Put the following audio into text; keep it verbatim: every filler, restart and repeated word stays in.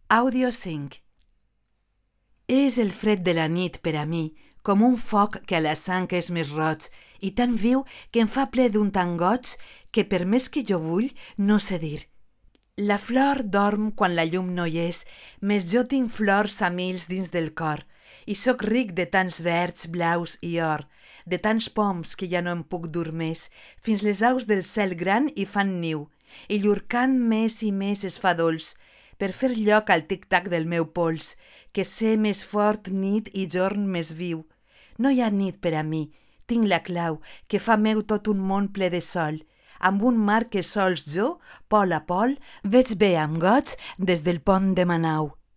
Àudio cinc. És el fred de la nit per a mi, com un foc que a la sang és més roig i tan viu que em fa ple d'un tant goig que per més que jo vull no sé dir. La flor dorm quan la llum no hi és, més jo tinc flors a mils dins del cor i sóc ric de tants verds, blaus i or, de tants poms que ja no em puc dur més, fins les aus del cel gran hi fan niu i llur cant més i més es fa dolç, per fer lloc al tic-tac del meu pols, que sé més fort nit i jorn més viu. No hi ha nit per a mi, tinc la clau, que fa meu tot un món ple de sol, amb un mar que sols jo, pol a pol, veig bé amb goig des del pont de Manau.